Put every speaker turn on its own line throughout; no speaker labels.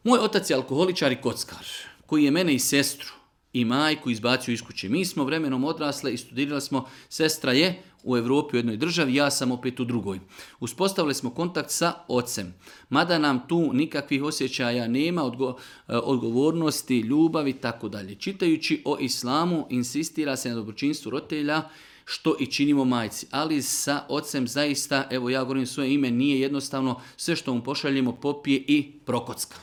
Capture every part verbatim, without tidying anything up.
Moj otac je alkoholičar i kockar, koji je mene i sestru i majku izbacio iz kuće. Mi smo vremenom odrasle i studirali smo, sestra je u Europi u jednoj državi, ja sam opet u drugoj. Uspostavili smo kontakt sa ocem. Mada nam tu nikakvih osjećaja nema, odgo- odgovornosti, ljubavi, tako dalje. Čitajući o islamu, insistira se na dobročinstvu roditelja, što i činimo majci. Ali sa ocem zaista, evo ja govorim svoje ime, nije jednostavno, sve što mu pošaljemo popije i prokocka.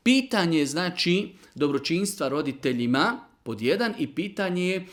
Pitanje je znači dobročinstva roditeljima pod jedan i pitanje je e,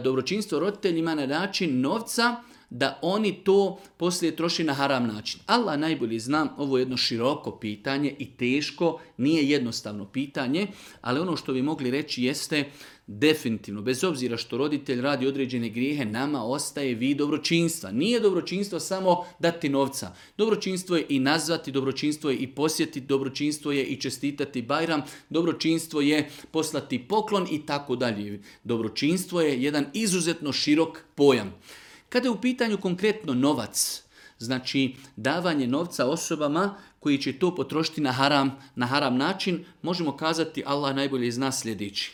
dobročinstvo roditeljima na način novca da oni to poslije troši na haram način. Allah najbolje zna, ovo je jedno široko pitanje i teško, nije jednostavno pitanje, ali ono što bi mogli reći jeste definitivno, bez obzira što roditelj radi određene grijehe, nama ostaje vid dobročinstva. Nije dobročinstvo samo dati novca. Dobročinstvo je i nazvati, dobročinstvo je i posjetiti, dobročinstvo je i čestitati Bajram, dobročinstvo je poslati poklon i tako dalje. Dobročinstvo je jedan izuzetno širok pojam. Kada je u pitanju konkretno novac, znači davanje novca osobama koji će to potrošiti na haram, na haram način, možemo kazati Allah najbolje zna sljedeći.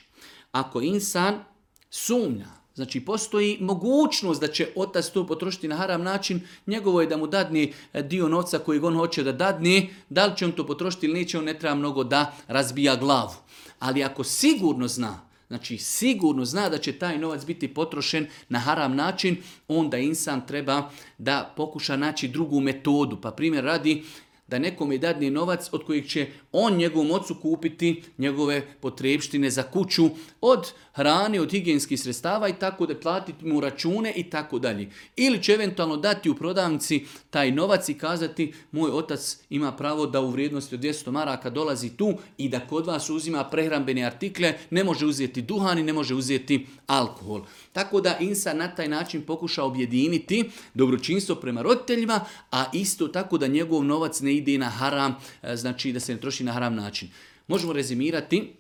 Ako insan sumnja, znači postoji mogućnost da će otac to potrošiti na haram način, njegovo je da mu dadne dio novca koji on hoće da dadne, da li će on to potrošiti ili neće, on ne treba mnogo da razbija glavu. Ali ako sigurno zna, znači sigurno zna da će taj novac biti potrošen na haram način, onda insan treba da pokuša naći drugu metodu. Pa primjer radi da nekome dadne novac od kojeg će on njegovom ocu kupiti njegove potrebštine za kuću, od hrane, od higijenskih sredstava i tako da platiti mu račune i tako dalje. Ili će eventualno dati u prodavnici taj novac i kazati moj otac ima pravo da u vrijednosti od dvjesto maraka dolazi tu i da kod vas uzima prehrambene artikle, ne može uzeti duhan i ne može uzeti alkohol. Tako da insan na taj način pokuša objediniti dobročinstvo prema roditeljima, a isto tako da njegov novac ne ide na haram, znači da se ne troši na haram način. Možemo rezimirati,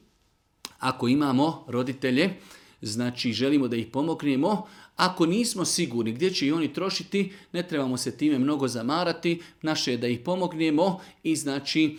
ako imamo roditelje, znači želimo da ih pomognemo, ako nismo sigurni gdje će i oni trošiti, ne trebamo se time mnogo zamarati, naše je da ih pomognemo i znači,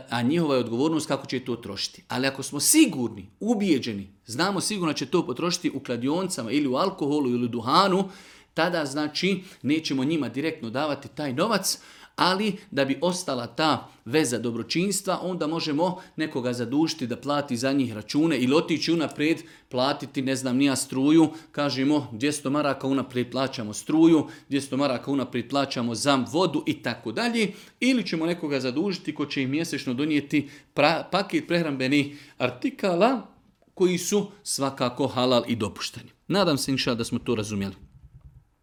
a njihova je odgovornost kako će to trošiti. Ali ako smo sigurni, ubijeđeni, znamo sigurno će to potrošiti u kladionicama ili u alkoholu ili u duhanu, tada znači nećemo njima direktno davati taj novac, ali da bi ostala ta veza dobročinstva, onda možemo nekoga zadužiti da plati za njih račune ili otići unaprijed platiti, ne znam, nija struju, kažemo dvjesto maraka unaprijed plaćamo struju, dvjesto maraka unaprijed plaćamo za vodu i tako dalje, ili ćemo nekoga zadužiti ko će im mjesečno donijeti pra, paket prehrambenih artikala koji su svakako halal i dopušteni. Nadam se inša da smo to razumjeli.